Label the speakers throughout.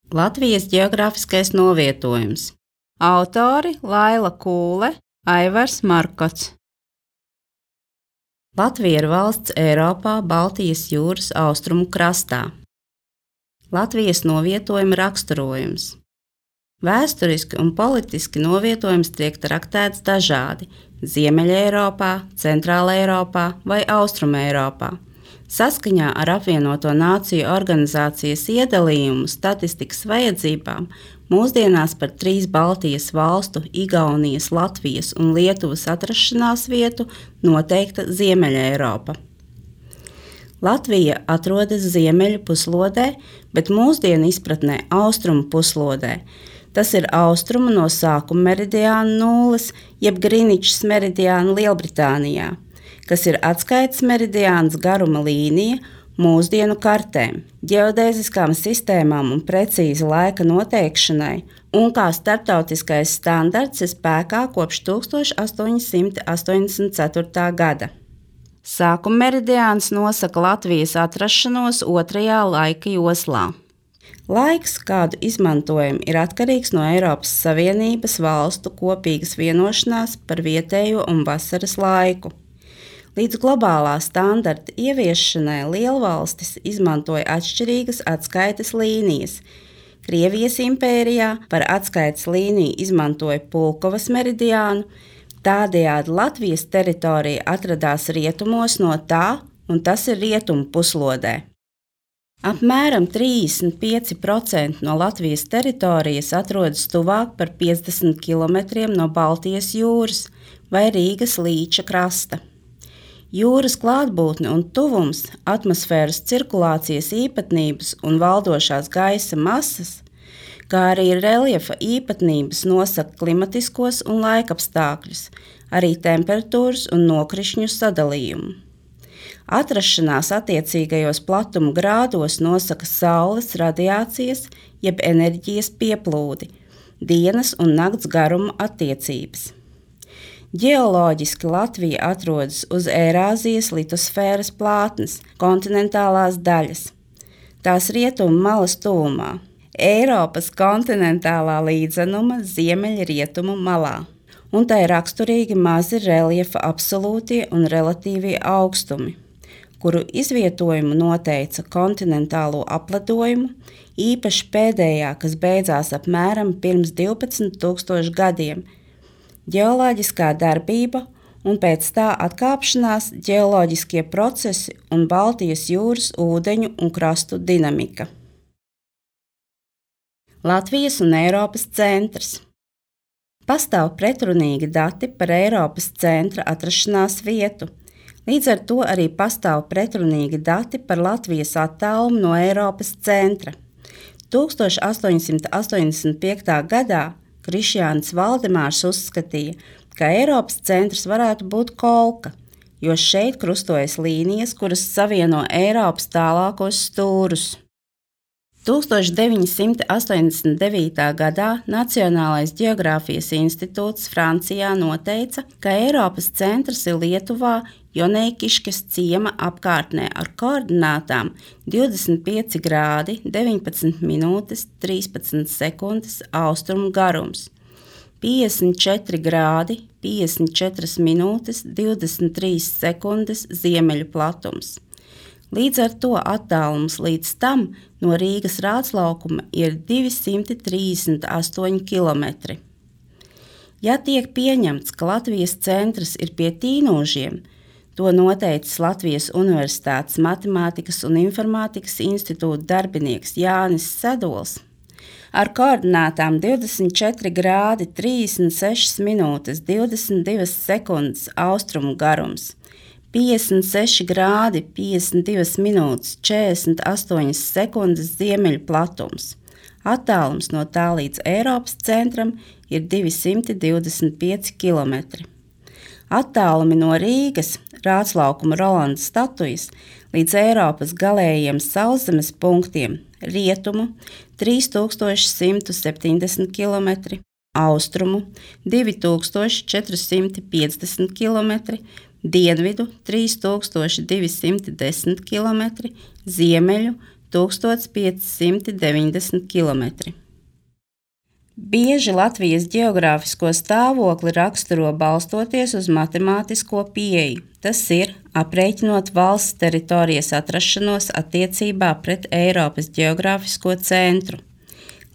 Speaker 1: Latvijas ģeogrāfiskais novietojums. Autori Laila Kūle, Aivars Markots. Latvija ir valsts Eiropā, Baltijas jūras austrumu krastā. Latvijas novietojuma raksturojums. Vēsturiski un politiski novietojums tiek traktēts dažādi – Ziemeļeiropā, Centrāleiropā vai Austrumeiropā. Saskaņā ar Apvienoto Nāciju organizācijas iedalījumu statistikas vajadzībām mūsdienās par 3 Baltijas valstu – Igaunijas, Latvijas un Lietuvas atrašanās vietu noteikta Ziemeļeiropa. Latvija atrodas ziemeļu puslodē, bet mūsdienu izpratnē austrumu puslodē. Tas ir austrumu no sākuma meridiāna nulles, jeb Griničas meridiāna Lielbritānijā, kas ir atskaites meridiāns garuma līnija mūsdienu kartēm, ģeodēziskām sistēmām un precīzi laika noteikšanai, un kā starptautiskais standarts ir spēkā kopš 1884. gada. Sākuma meridiāns nosaka Latvijas atrašanos 2. laika joslā. Laiks, kādu izmantojam, ir atkarīgs no Eiropas Savienības valstu kopīgas vienošanās par vietējo un vasaras laiku. Līdz globālā standarta ieviešanai lielvalstis izmantoja atšķirīgas atskaites līnijas. Krievijas impērijā par atskaites līniju izmantoja Pulkovas meridiānu, tādējādi Latvijas teritorija atradās rietumos no tā, un tas ir rietumu puslodē. Apmēram 35% no Latvijas teritorijas atrodas tuvāk par 50 km no Baltijas jūras vai Rīgas līča krasta. Jūras klātbūtne un tuvums, atmosfēras cirkulācijas īpatnības un valdošās gaisa masas, kā arī reljefa īpatnības nosaka klimatiskos un laikapstākļus, arī temperatūras un nokrišņu sadalījumu. Atrašanās attiecīgajos platuma grādos nosaka Saules radiācijas jeb enerģijas pieplūdi, dienas un nakts garuma attiecības. Ģeoloģiski Latvija atrodas uz Eirāzijas litosfēras plātnes, kontinentālās daļas. Tās rietumu malas tuvumā, Eiropas kontinentālā līdzenuma ziemeļrietumu malā, un tai raksturīgi mazi reljefa absolūtie un relatīvie augstumi, kuru izvietojumu noteica kontinentālo apledojumu, īpaši pēdējā, kas beidzās apmēram pirms 12,000 gadiem, ģeoloģiskā darbība un pēc tā atkāpšanās ģeoloģiskie procesi un Baltijas jūras ūdeņu un krastu dinamika. Latvijas un Eiropas centrs. Pastāv pretrunīgi dati par Eiropas centra atrašanās vietu. Līdz ar to arī pastāv pretrunīgi dati par Latvijas attālumu no Eiropas centra. 1885. gadā Krišjānis Valdemārs uzskatīja, ka Eiropas centrs varētu būt Kolka, jo šeit krustojas līnijas, kuras savieno Eiropas tālākos stūrus. 1989. gadā Nacionālais ģeogrāfijas institūts Francijā noteica, ka Eiropas centrs ir Lietuvā Joneikiškes ciema apkārtnē ar koordinātām 25 grādi 19 minūtes 13 sekundes austrumu garums, 54 grādi 54 minūtes 23 sekundes ziemeļu platums. Līdz ar to attālums līdz tam no Rīgas rādslaukuma ir 238 km. Ja tiek pieņemts, ka Latvijas centrs ir pie Tīnožiem, to noteicis Latvijas Universitātes Matemātikas un Informātikas institūta darbinieks Jānis Sadols, ar koordinātām 24 grādi 36 minūtes 22 sekundes austrumu garums, 56 grādi 52 minūtes 48 sekundes ziemeļu platums. Attālums no tā līdz Eiropas centram ir 225 km. Attālumi no Rīgas, rādslaukuma Rolanda statujas, līdz Eiropas galējiem sauszemes punktiem rietumu 3170 km, austrumu 2450 km, dienvidu 3210 km, ziemeļu 1590 km. Bieži Latvijas ģeogrāfisko stāvokli raksturo balstoties uz matemātisko pieeju, tas ir, aprēķinot valsts teritorijas atrašanos attiecībā pret Eiropas ģeogrāfisko centru.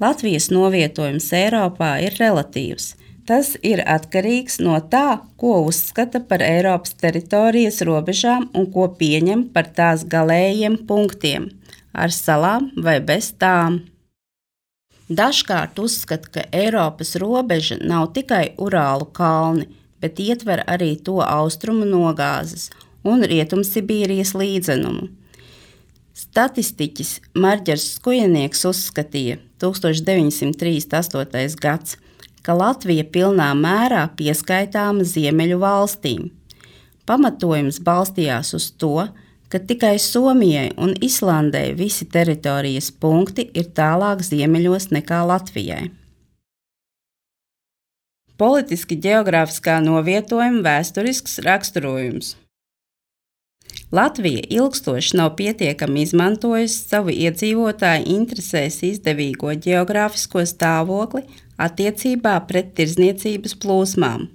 Speaker 1: Latvijas novietojums Eiropā ir relatīvs. Tas ir atkarīgs no tā, ko uzskata par Eiropas teritorijas robežām un ko pieņem par tās galējiem punktiem, ar salām vai bez tām. Dažkārt uzskata, ka Eiropas robeža nav tikai Urālu kalni, bet ietver arī to austrumu nogāzes un Rietumsibīrijas līdzenumu. Statistiķis Marģers Skujenieks uzskatīja 1938. gads, ka Latvija pilnā mērā pieskaitāma Ziemeļu valstīm. Pamatojums balstījās uz to, ka tikai Somijai un Islandei visi teritorijas punkti ir tālāk ziemeļos nekā Latvijai. Politiski ģeogrāfiskā novietojuma vēsturisks raksturojums. Latvija ilgstoši nav pietiekami izmantojusi savu iedzīvotāju interesēs izdevīgo ģeogrāfisko stāvokli attiecībā pret tirdzniecības plūsmām.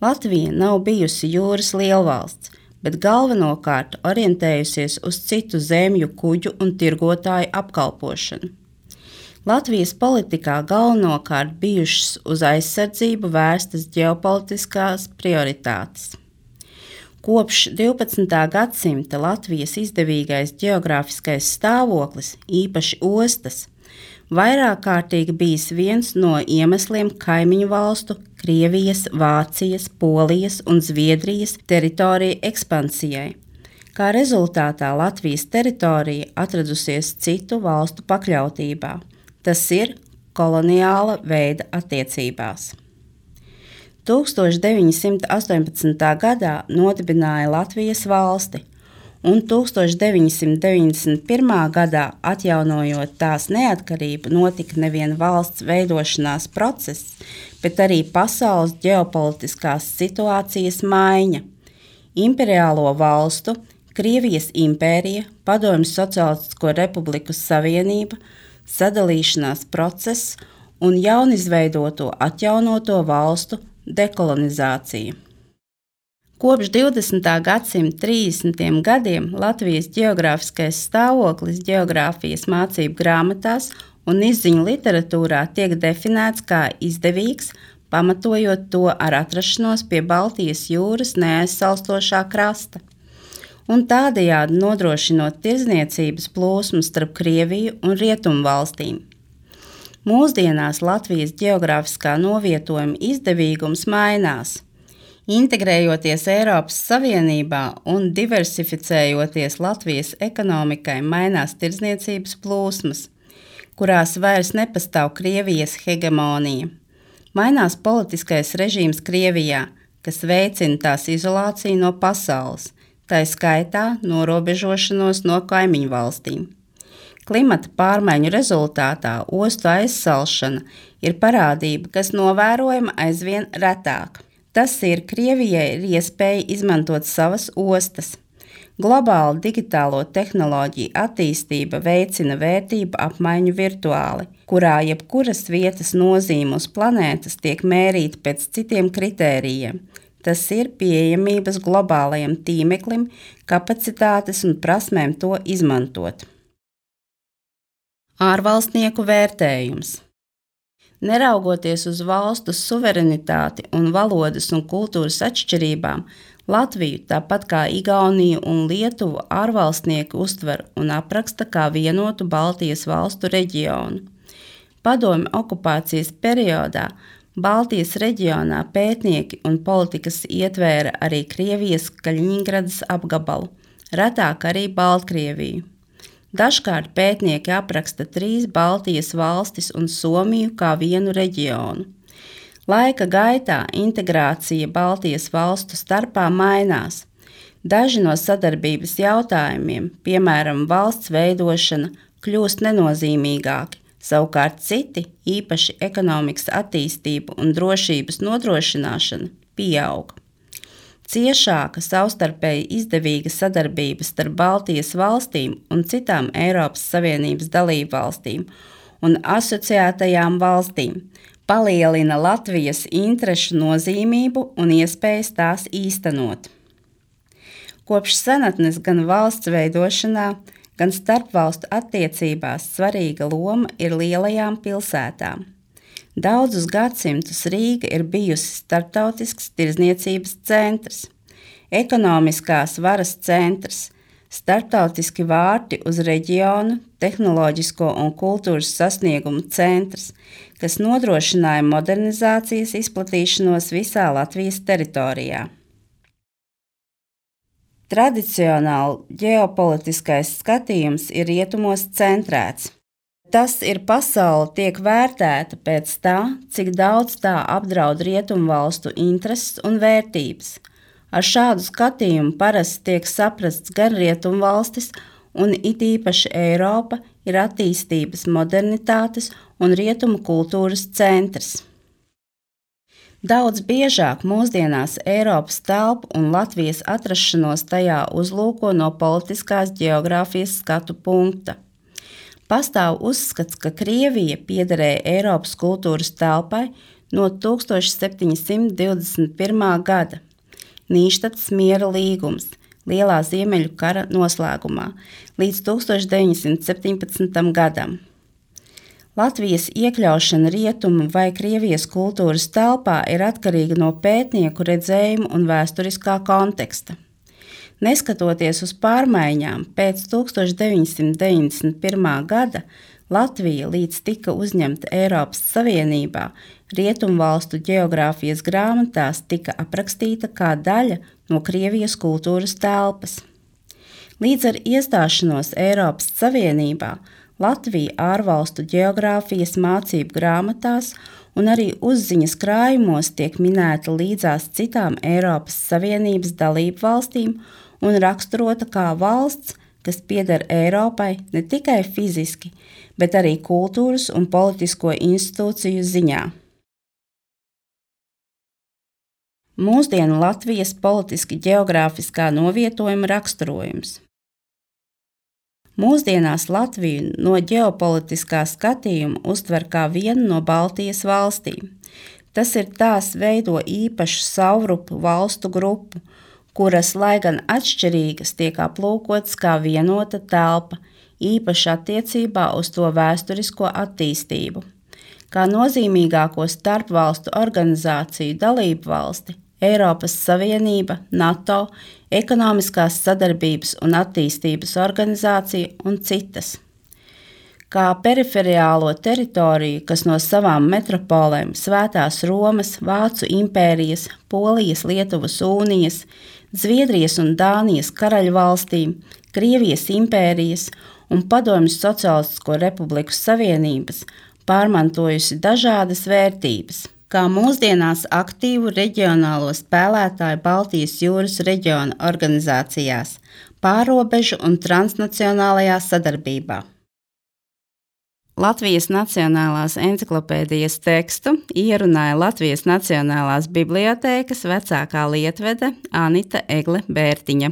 Speaker 1: Latvija nav bijusi jūras lielvalsts, bet galvenokārt orientējusies uz citu zemju kuģu un tirgotāju apkalpošanu. Latvijas politikā galvenokārt bijušas uz aizsardzību vērstas ģeopolitiskās prioritātes. Kopš 12. gadsimta Latvijas izdevīgais ģeogrāfiskais stāvoklis, īpaši ostas, vairāk kārtīgi bijis viens no iemesliem kaimiņu valstu Krievijas, Vācijas, Polijas un Zviedrijas teritoriju ekspansijai. Kā rezultātā Latvijas teritorija atradusies citu valstu pakļautībā. Tas ir koloniāla veida attiecībās. 1918. gadā nodibināja Latvijas valsti, un 1991. gadā, atjaunojot tās neatkarību, notika nevien valsts veidošanās process, bet arī pasaules ģeopolitiskās situācijas maiņa. Imperiālo valstu, Krievijas impērija, Padomju Sociālistisko republiku savienība, sadalīšanās process un jaunizveidoto atjaunoto valstu dekolonizācija. Kopš 20. gadsimta 30. gadiem Latvijas ģeogrāfiskais stāvoklis ģeogrāfijas mācību grāmatās un izziņu literatūrā tiek definēts kā izdevīgs, pamatojot to ar atrašanos pie Baltijas jūras neaizsalstošā krasta, un tādējādi nodrošinot tirdzniecības plūsmu starp Krieviju un Rietumu valstīm. Mūsdienās Latvijas ģeogrāfiskā novietojuma izdevīgums mainās. Integrējoties Eiropas Savienībā un diversificējoties Latvijas ekonomikai, mainās tirdzniecības plūsmas, kurās vairs nepastāv Krievijas hegemonija. Mainās politiskais režīms Krievijā, kas veicina tās izolāciju no pasaules, tai skaitā norobežošanos no kaimiņu valstīm. Klimata pārmaiņu rezultātā ostu aizsalšana ir parādība, kas novērojama aizvien retāk. Tas ir, Krievijai ir iespēja izmantot savas ostas. Globāla digitālo tehnoloģiju attīstība veicina vērtību apmaiņu virtuāli, kurā jebkuras vietas nozīme uz planētas tiek mērīta pēc citiem kritērijiem. Tas ir pieejamības globālajam tīmeklim, kapacitātes un prasmēm to izmantot. Ārvalstnieku vērtējums. Neraugoties uz valstu suverenitāti un valodas un kultūras atšķirībām, Latviju, tāpat kā Igauniju un Lietuvu, ārvalstnieki uztver un apraksta kā vienotu Baltijas valstu reģionu. Padomju okupācijas periodā Baltijas reģionā pētnieki un politikas ietvēra arī Krievijas Kaļiņgradas apgabalu, retāk arī Baltkrieviju. Dažkārt pētnieki apraksta 3 Baltijas valstis un Somiju kā vienu reģionu. Laika gaitā integrācija Baltijas valstu starpā mainās. Daži no sadarbības jautājumiem, piemēram, valsts veidošana, kļūst nenozīmīgāki, savukārt citi, īpaši ekonomikas attīstība un drošības nodrošināšana, pieaug. Ciešāka savstarpēji izdevīga sadarbība starp Baltijas valstīm un citām Eiropas Savienības dalību valstīm un asociētajām valstīm palielina Latvijas interešu nozīmību un iespējas tās īstenot. Kopš senatnes gan valsts veidošanā, gan starpvalstu attiecībās svarīga loma ir lielajām pilsētām. Daudzus gadsimtus Rīga ir bijusi starptautisks tirdzniecības centrs, ekonomiskās varas centrs, starptautiski vārti uz reģionu, tehnoloģisko un kultūras sasniegumu centrs, kas nodrošināja modernizācijas izplatīšanos visā Latvijas teritorijā. Tradicionāli ģeopolitiskais skatījums ir rietumos centrēts. Tas ir pasaule tiek vērtēta pēc tā, cik daudz tā apdraud rietumvalstu intereses un vērtības. Ar šādu skatījumu parasti tiek saprasts gan rietumvalstis, un it īpaši Eiropa ir attīstības, modernitātes un rietumu kultūras centrs. Daudz biežāk mūsdienās Eiropas telpu un Latvijas atrašanos tajā uzlūko no politiskās ģeogrāfijas skatu punkta. Pastāv uzskats, ka Krievija piederēja Eiropas kultūras telpai no 1721. gada, Nīštatas miera līgums, Lielā Ziemeļu kara noslēgumā, līdz 1917. gadam. Latvijas iekļaušana rietumu vai Krievijas kultūras telpā ir atkarīga no pētnieku redzējumu un vēsturiskā konteksta. Neskatoties uz pārmaiņām, pēc 1991. gada Latvija līdz tika uzņemta Eiropas Savienībā, rietumvalstu ģeogrāfijas grāmatās tika aprakstīta kā daļa no Krievijas kultūras telpas. Līdz ar iestāšanos Eiropas Savienībā Latvija ārvalstu ģeogrāfijas mācību grāmatās un arī uzziņas krājumos tiek minēta līdzās citām Eiropas Savienības dalību valstīm un raksturota kā valsts, kas pieder Eiropai ne tikai fiziski, bet arī kultūras un politisko institūciju ziņā. Mūsdienu Latvijas politiski ģeogrāfiskā novietojuma raksturojums. Mūsdienās Latviju no ģeopolitiskā skatījuma uztver kā vienu no Baltijas valstīm. Tas ir tās veido īpašu savrupu valstu grupu, kuras, lai gan atšķirīgas, tiek aplūkotas kā vienota telpa, īpaši attiecībā uz to vēsturisko attīstību. Kā nozīmīgāko starpvalstu organizāciju dalību valsti, Eiropas Savienība, NATO, Ekonomiskās sadarbības un attīstības organizācija un citas. Kā periferiālo teritoriju, kas no savām metropolēm Svētās Romas, Vācu impērijas, Polijas, Lietuvas unijas, Zviedrijas un Dānijas karaļvalstīm, Krievijas impērijas un Padomju Socialistisko republiku savienības pārmantojusi dažādas vērtības, kā mūsdienās aktīvu reģionālo spēlētāju Baltijas jūras reģiona organizācijās, pārrobežu un transnacionālajā sadarbībā. Latvijas Nacionālās enciklopēdijas tekstu ierunāja Latvijas Nacionālās bibliotēkas vecākā lietvede Anita Egle Bērtiņa.